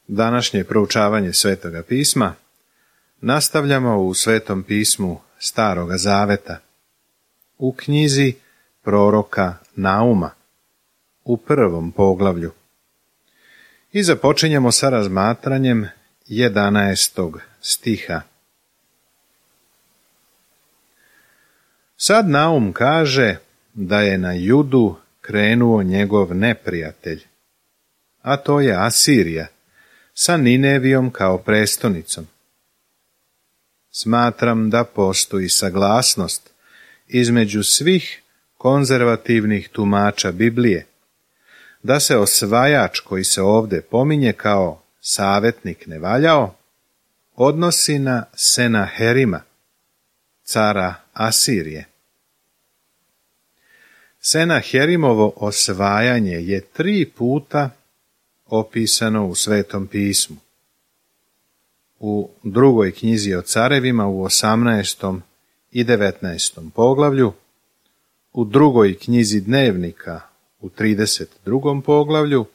Današnje proučavanje Svetoga pisma nastavljamo u Svetom pismu Staroga zaveta, u knjizi proroka Nauma, u 1. poglavlju. I započinjemo sa razmatranjem 11. stiha. Sad Naum kaže da je na Judu krenuo njegov neprijatelj, a to je Asirija, sa Ninevijom kao prestonicom. Smatram da postoji saglasnost između svih konzervativnih tumača Biblije, da se osvajač koji se ovdje pominje kao savjetnik nevaljao, odnosi na Senaherima, cara Asirije. Senaherimovo osvajanje je 3 puta opisano u Svetom pismu. U 2. knjizi o carevima u 18. i 19. poglavlju, u 2. knjizi dnevnika u 32. poglavlju,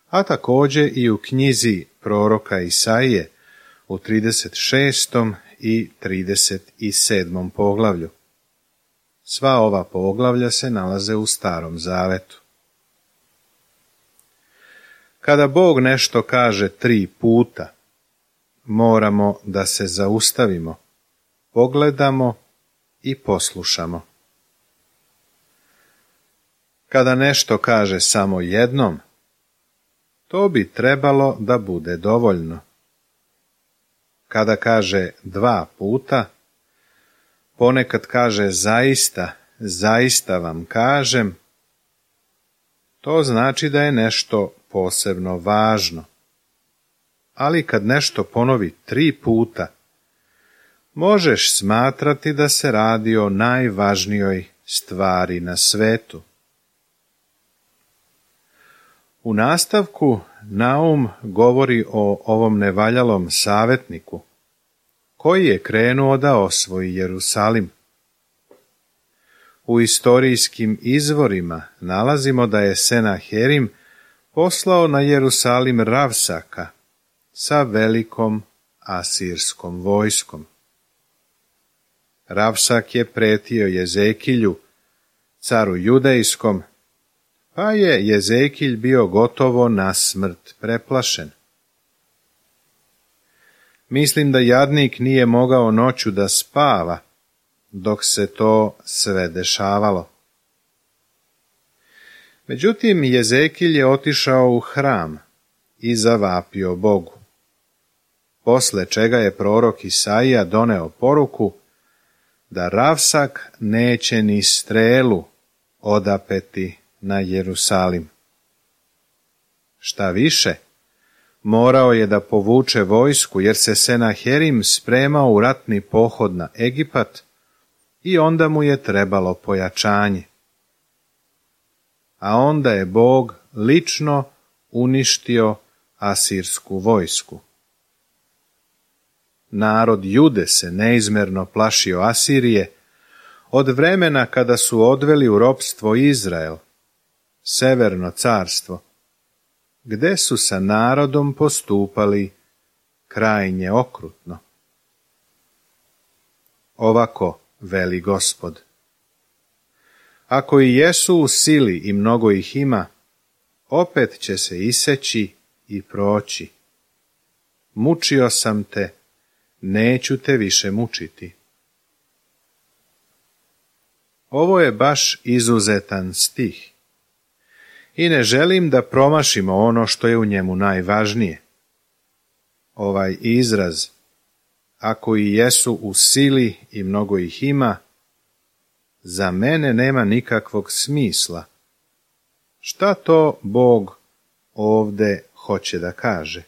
a također i u knjizi proroka Isaije u 36. i 37. poglavlju. Sva ova poglavlja se nalaze u Starom zavetu. Kada Bog nešto kaže 3 puta, moramo da se zaustavimo, pogledamo i poslušamo. Kada nešto kaže samo jednom, to bi trebalo da bude dovoljno. Kada kaže 2 puta, ponekad kaže zaista vam kažem, to znači da je nešto posebno važno. Ali kad nešto ponovi 3 puta, možeš smatrati da se radi o najvažnijoj stvari na svetu. U nastavku Naum govori o ovom nevaljalom savjetniku, koji je krenuo da osvoji Jerusalim. U istorijskim izvorima nalazimo da je Senaherim poslao na Jerusalim Ravsaka sa velikom asirskom vojskom. Ravsak je pretio Jezekilju, caru judejskom, pa je Jezekilj bio gotovo na smrt preplašen. Mislim da jadnik nije mogao noću da spava, dok se to sve dešavalo. Međutim, Jezekilj je otišao u hram i zavapio Bogu, posle čega je prorok Isaija doneo poruku da Ravsak neće ni strelu odapeti na Jerusalim. Šta više, morao je da povuče vojsku jer se Senaherim spremao u ratni pohod na Egipat i onda mu je trebalo pojačanje. A onda je Bog lično uništio asirsku vojsku. Narod Jude se neizmerno plašio Asirije od vremena kada su odveli u ropstvo Izrael, severno carstvo, gde su sa narodom postupali krajnje okrutno. Ovako veli Gospod: ako i jesu u sili i mnogo ih ima, opet će se iseći i proći. Mučio sam te, neću te više mučiti. Ovo je baš izuzetan stih i ne želim da promašimo ono što je u njemu najvažnije. Ovaj izraz, ako i jesu u sili i mnogo ih ima, za mene nema nikakvog smisla. Šta to Bog ovde hoće da kaže?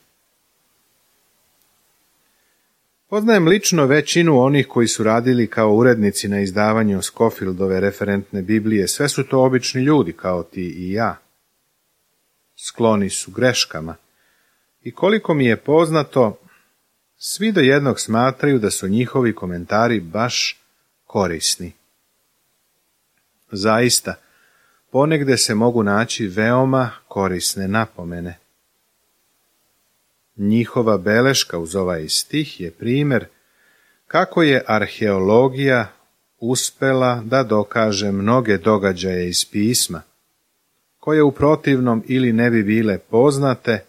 Poznajem lično većinu onih koji su radili kao urednici na izdavanju Scofieldove referentne Biblije. Sve su to obični ljudi kao ti i ja. Skloni su greškama. I koliko mi je poznato, svi do jednog smatraju da su njihovi komentari baš korisni. Zaista, ponegde se mogu naći veoma korisne napomene. Njihova beleška uz ovaj stih je primjer kako je arheologija uspela da dokaže mnoge događaje iz pisma, koje u protivnom ili ne bi bile poznate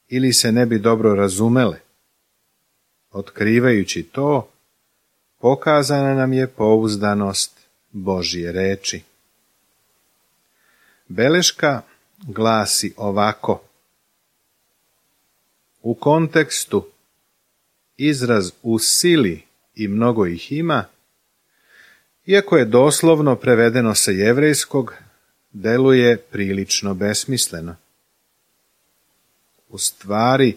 ili se ne bi dobro razumele. Otkrivajući to, pokazana nam je pouzdanost Božje reči. Beleška glasi ovako. U kontekstu izraz u sili i mnogo ih ima, iako je doslovno prevedeno sa jevrejskog, deluje prilično besmisleno. U stvari,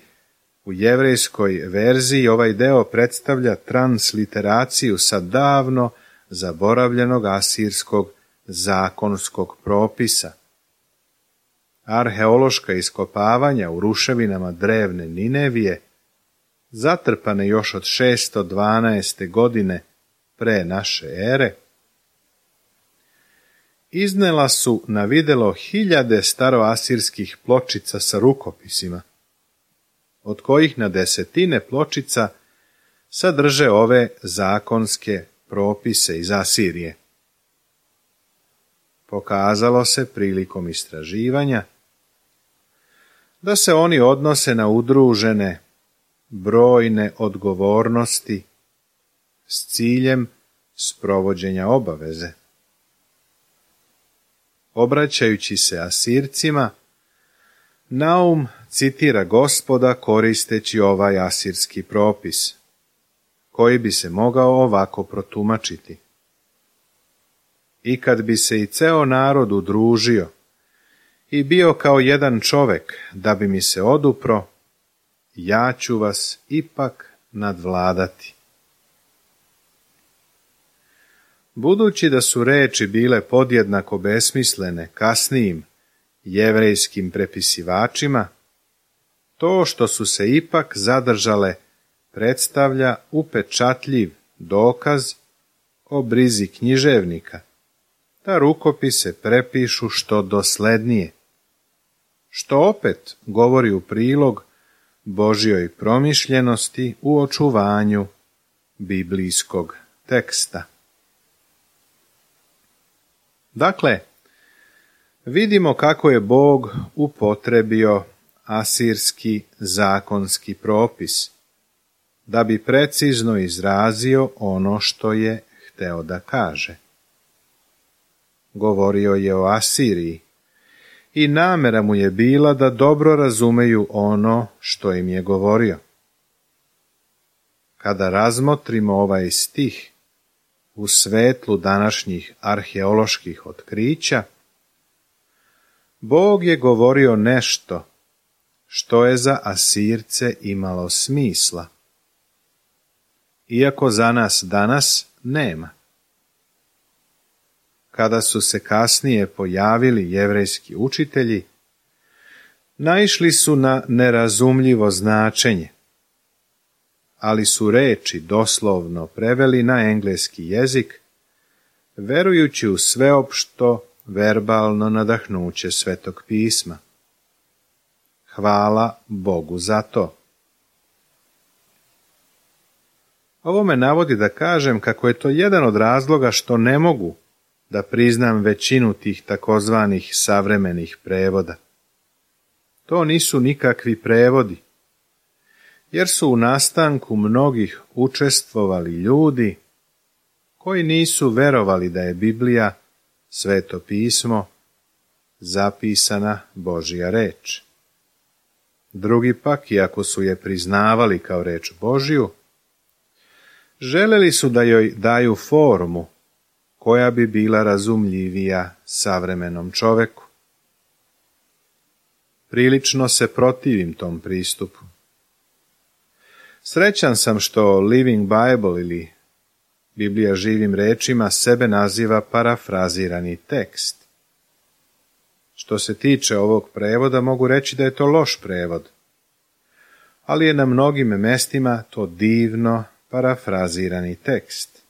u jevrejskoj verziji ovaj deo predstavlja transliteraciju sa davno zaboravljenog asirskog zakonskog propisa. Arheološka iskopavanja u ruševinama drevne Ninevije, zatrpane još od 612. godine pre naše ere, iznela su na videlo hiljade staroasirskih pločica sa rukopisima, od kojih na desetine pločica sadrže ove zakonske propise iz Asirije. Pokazalo se prilikom istraživanja da se oni odnose na udružene brojne odgovornosti s ciljem sprovođenja obaveze. Obraćajući se Asircima, Naum citira Gospoda koristeći ovaj asirski propis, koji bi se mogao ovako protumačiti. I kad bi se i ceo narod udružio i bio kao jedan čovek da bi mi se odupro, ja ću vas ipak nadvladati. Budući da su reči bile podjednako besmislene kasnijim jevrejskim prepisivačima, to što su se ipak zadržale predstavlja upečatljiv dokaz o brizi književnika, da rukopise prepišu što doslednije, što opet govori u prilog Božjoj promišljenosti u očuvanju biblijskog teksta. Dakle, vidimo kako je Bog upotrebio asirski zakonski propis, da bi precizno izrazio ono što je hteo da kaže. Govorio je o Asiriji i namera mu je bila da dobro razumeju ono što im je govorio. Kada razmotrimo ovaj stih u svetlu današnjih arheoloških otkrića, Bog je govorio nešto što je za Asirce imalo smisla, iako za nas danas nema. Kada su se kasnije pojavili jevrejski učitelji, naišli su na nerazumljivo značenje, ali su reči doslovno preveli na engleski jezik, verujući u sveopšto verbalno nadahnuće Svetog pisma. Hvala Bogu za to. Ovo me navodi da kažem kako je to jedan od razloga što ne mogu da priznam većinu tih takozvanih savremenih prevoda. To nisu nikakvi prevodi, jer su u nastanku mnogih učestvovali ljudi koji nisu verovali da je Biblija, Sveto pismo, zapisana Božja reč. Drugi pak, iako su je priznavali kao reč Božju, želeli su da joj daju formu koja bi bila razumljivija savremenom čoveku. Prilično se protivim tom pristupu. Srećan sam što Living Bible ili Biblija živim rečima sebe naziva parafrazirani tekst. Što se tiče ovog prevoda, mogu reći da je to loš prevod, ali je na mnogim mestima to divno parafrazirani tekst.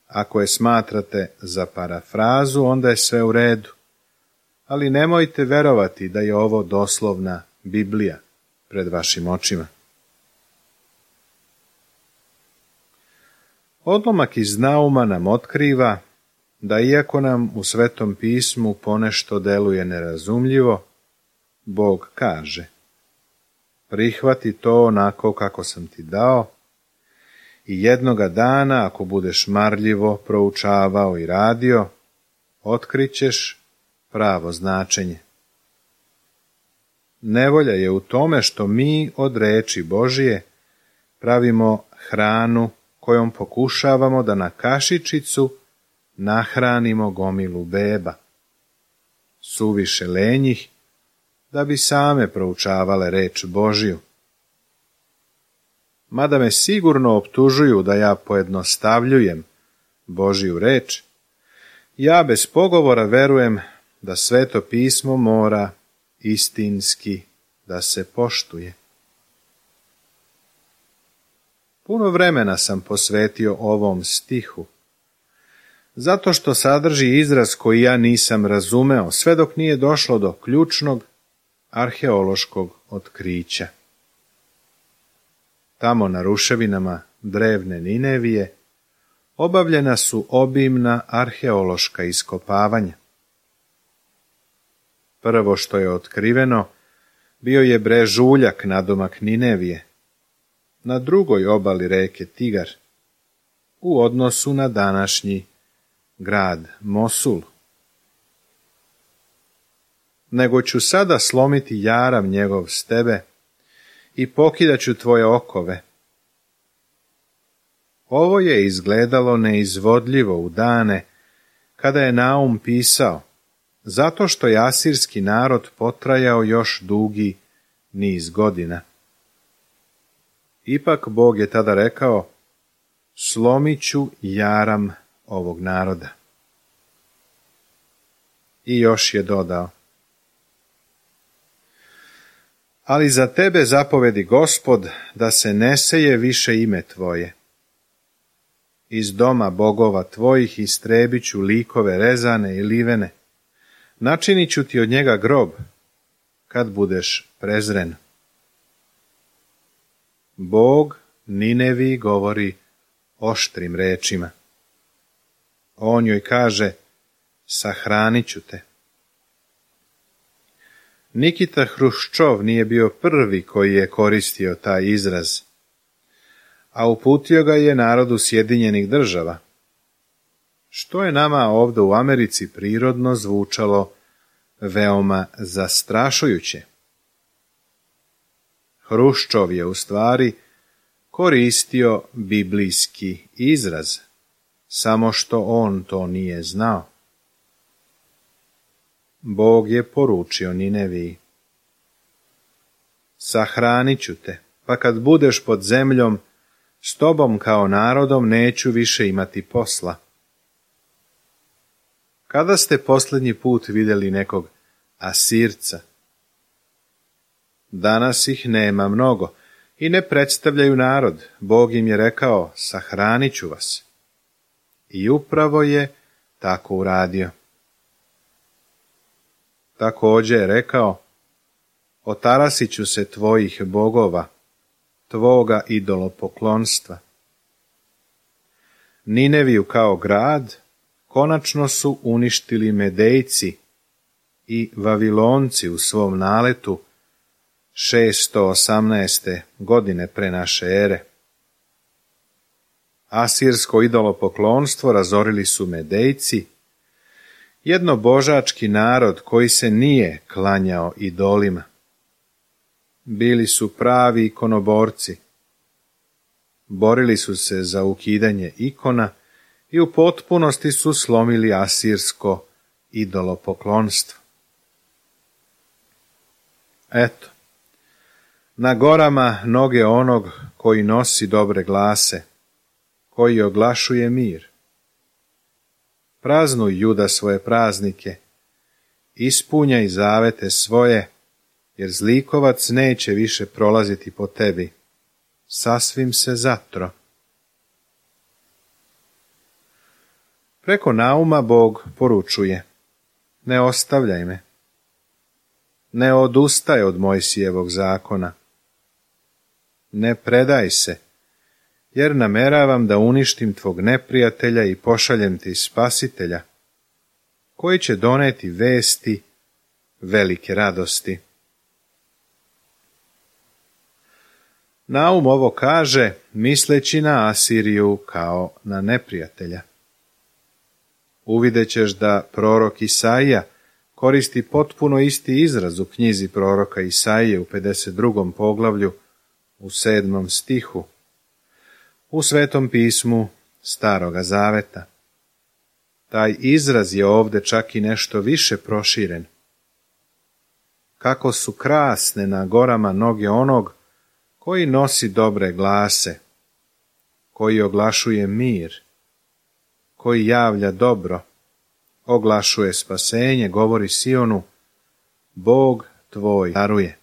Ako je smatrate za parafrazu, onda je sve u redu, ali nemojte verovati da je ovo doslovna Biblija. pred vašim očima. Odlomak iz Nauma nam otkriva da iako nam u Svetom pismu ponešto deluje nerazumljivo, Bog kaže: prihvati to onako kako sam ti dao i jednoga dana, ako budeš marljivo proučavao i radio, otkrićeš pravo značenje. Nevolja je u tome što mi od reči Božije pravimo hranu kojom pokušavamo da na kašičicu nahranimo gomilu beba, suviše lenjih da bi same proučavale reč Božiju. Mada me sigurno optužuju da ja pojednostavljujem Božiju reč, ja bez pogovora verujem da Sveto pismo mora istinski da se poštuje. Puno vremena sam posvetio ovom stihu, zato što sadrži izraz koji ja nisam razumeo, sve dok nije došlo do ključnog arheološkog otkrića. Tamo na ruševinama drevne Ninevije obavljena su obimna arheološka iskopavanja. Prvo što je otkriveno bio je brežuljak nadomak Ninevije, na drugoj obali reke Tigar, u odnosu na današnji grad Mosul. Nego ću sada slomiti jaram njegov s tebe i pokidaću tvoje okove. Ovo je izgledalo neizvodljivo u dane kada je Naum pisao, zato što je asirski narod potrajao još dugi niz godina. Ipak Bog je tada rekao: slomit ću jaram ovog naroda. I još je dodao: ali za tebe zapovedi Gospod da se ne seje više ime tvoje. Iz doma bogova tvojih istrebit ću likove rezane i livene, načinit ću ti od njega grob, kad budeš prezren. Bog Ninevi govori oštrim rečima. On joj kaže: sahranit ću te. Nikita Hruščov nije bio prvi koji je koristio taj izraz, a uputio ga je narodu Sjedinjenih Država, što je nama ovdje u Americi prirodno zvučalo veoma zastrašujuće. Hruščov je u stvari koristio biblijski izraz, samo što on to nije znao. Bog je poručio Nineviji: sahranit ću te, pa kad budeš pod zemljom, s tobom kao narodom neću više imati posla. Kada ste posljednji put vidjeli nekog Asirca? Danas ih nema mnogo i ne predstavljaju narod. Bog im je rekao: sahranit ću vas. I upravo je tako uradio. Također je rekao: otarasit ću se tvojih bogova, tvoga idolopoklonstva. Nineviju kao grad konačno su uništili Medejci i Vavilonci u svom naletu 618. godine pre naše ere. Asirsko idolopoklonstvo razorili su Medejci, jednobožački narod koji se nije klanjao idolima. Bili su pravi ikonoborci. Borili su se za ukidanje ikona i u potpunosti su slomili asirsko idolopoklonstvo. Eto, na gorama noge onog koji nosi dobre glase, koji oglašuje mir. Praznuj, Juda, svoje praznike, ispunjaj zavete svoje, jer zlikovac neće više prolaziti po tebi, sasvim se zatro. Preko Nauma Bog poručuje: ne ostavljaj me, ne odustaj od Mojsijevog zakona, ne predaj se, jer nameravam da uništim tvog neprijatelja i pošaljem ti spasitelja, koji će doneti vesti velike radosti. Naum ovo kaže, misleći na Asiriju kao na neprijatelja. Uvidjet ćeš da prorok Isaija koristi potpuno isti izraz u knjizi proroka Isaije u 52. poglavlju u 7. stihu u Svetom pismu Staroga Zaveta. Taj izraz je ovdje čak i nešto više proširen. Kako su krasne na gorama noge onog koji nosi dobre glase, koji oglašuje mir, koji javlja dobro, oglašuje spasenje, govori Sionu, Bog tvoj daruje.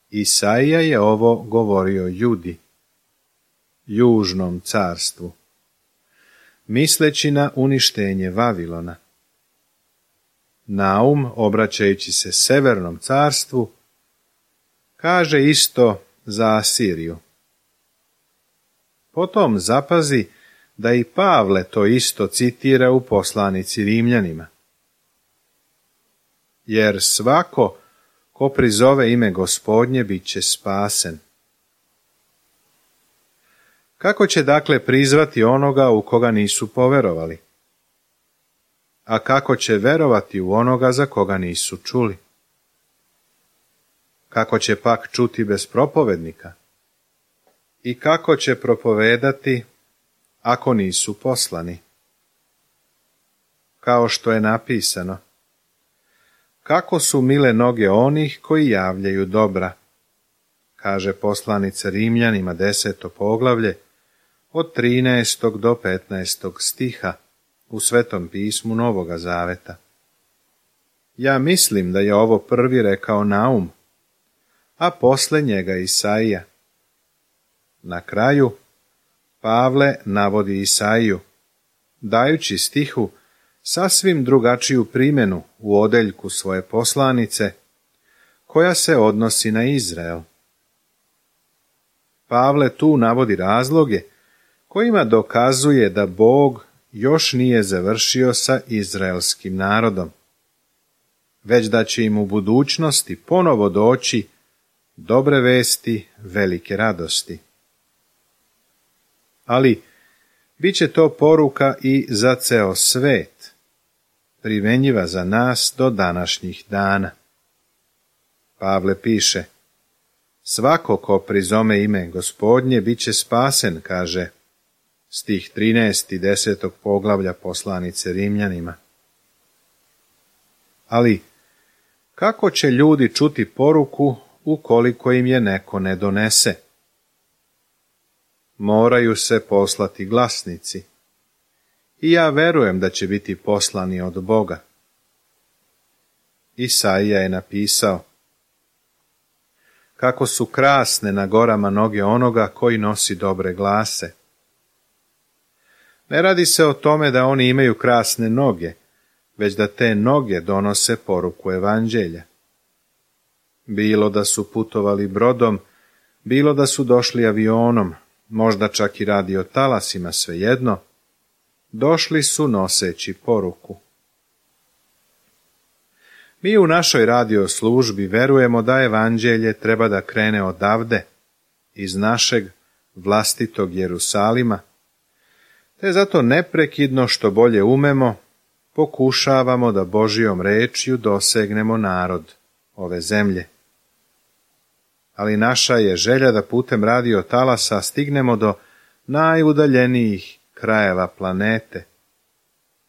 Isaija je ovo govorio Judi, južnom carstvu, misleći na uništenje Vavilona. Naum, obraćajući se severnom carstvu, kaže isto za Asiriju. Potom zapazi da i Pavle to isto citira u poslanici Rimljanima. Jer svako ko prizove ime Gospodnje bit će spasen. Kako će dakle prizvati onoga u koga nisu poverovali? A kako će verovati u onoga za koga nisu čuli? Kako će pak čuti bez propovednika? I kako će propovedati ako nisu poslani? Kao što je napisano, kako su mile noge onih koji javljaju dobra, kaže poslanica Rimljanima 10. poglavlje od 13. do 15. stiha u Svetom pismu Novoga Zaveta. Ja mislim da je ovo prvi rekao Naum, a posle njega Isaija. Na kraju Pavle navodi Isaiju, dajući stihu sasvim drugačiju primjenu u odeljku svoje poslanice, koja se odnosi na Izrael. Pavle tu navodi razloge kojima dokazuje da Bog još nije završio sa izraelskim narodom, već da će im u budućnosti ponovo doći dobre vesti velike radosti. Ali bit će to poruka i za ceo svet, primenjiva za nas do današnjih dana. Pavle piše, svako ko prizome ime Gospodnje bit će spasen, kaže stih 13. 10. poglavlja poslanice Rimljanima. Ali kako će ljudi čuti poruku ukoliko im je neko ne donese? Moraju se poslati glasnici. I ja verujem da će biti poslani od Boga. Isaija je napisao, kako su krasne na gorama noge onoga koji nosi dobre glase. Ne radi se o tome da oni imaju krasne noge, već da te noge donose poruku evanđelja. Bilo da su putovali brodom, bilo da su došli avionom, možda čak i radi o talasima, svejedno, došli su noseći poruku. Mi u našoj radio službi verujemo da evanđelje treba da krene odavde, iz našeg vlastitog Jerusalima, te zato neprekidno što bolje umemo, pokušavamo da Božijom rečju dosegnemo narod ove zemlje. Ali naša je želja da putem radio talasa stignemo do najudaljenijih krajeva planete.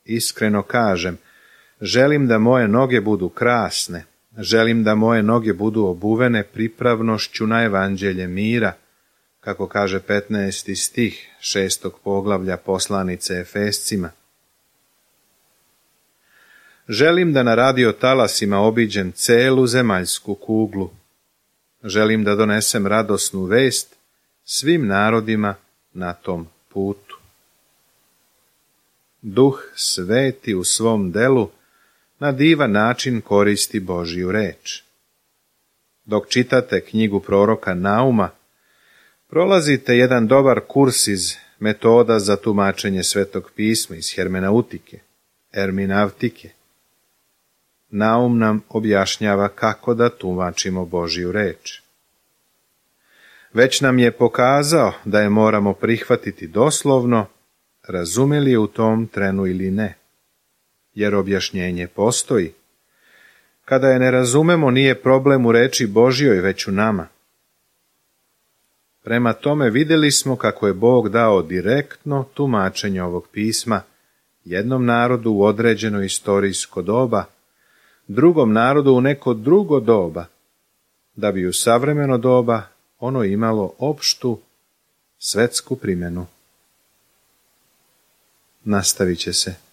Iskreno kažem, želim da moje noge budu krasne, želim da moje noge budu obuvene pripravnošću na evanđelje mira, kako kaže 15. stih 6. poglavlja poslanice Efescima. Želim da na radio talasima obiđem celu zemaljsku kuglu. Želim da donesem radosnu vest svim narodima na tom putu. Duh Sveti u svom delu na divan način koristi Božju reč. Dok čitate knjigu proroka Nauma, prolazite jedan dobar kurs iz metoda za tumačenje Svetog pisma, iz hermeneutike, erminavtike. Naum nam objašnjava kako da tumačimo Božju reč. Već nam je pokazao da je moramo prihvatiti doslovno, razumeli je u tom trenu ili ne, jer objašnjenje postoji. Kada je ne razumemo, nije problem u reči Božjoj, već u nama. Prema tome vidjeli smo kako je Bog dao direktno tumačenje ovog pisma jednom narodu u određeno istorijsko doba, drugom narodu u neko drugo doba, da bi u savremeno doba ono imalo opštu svetsku primjenu. Nastavit će se.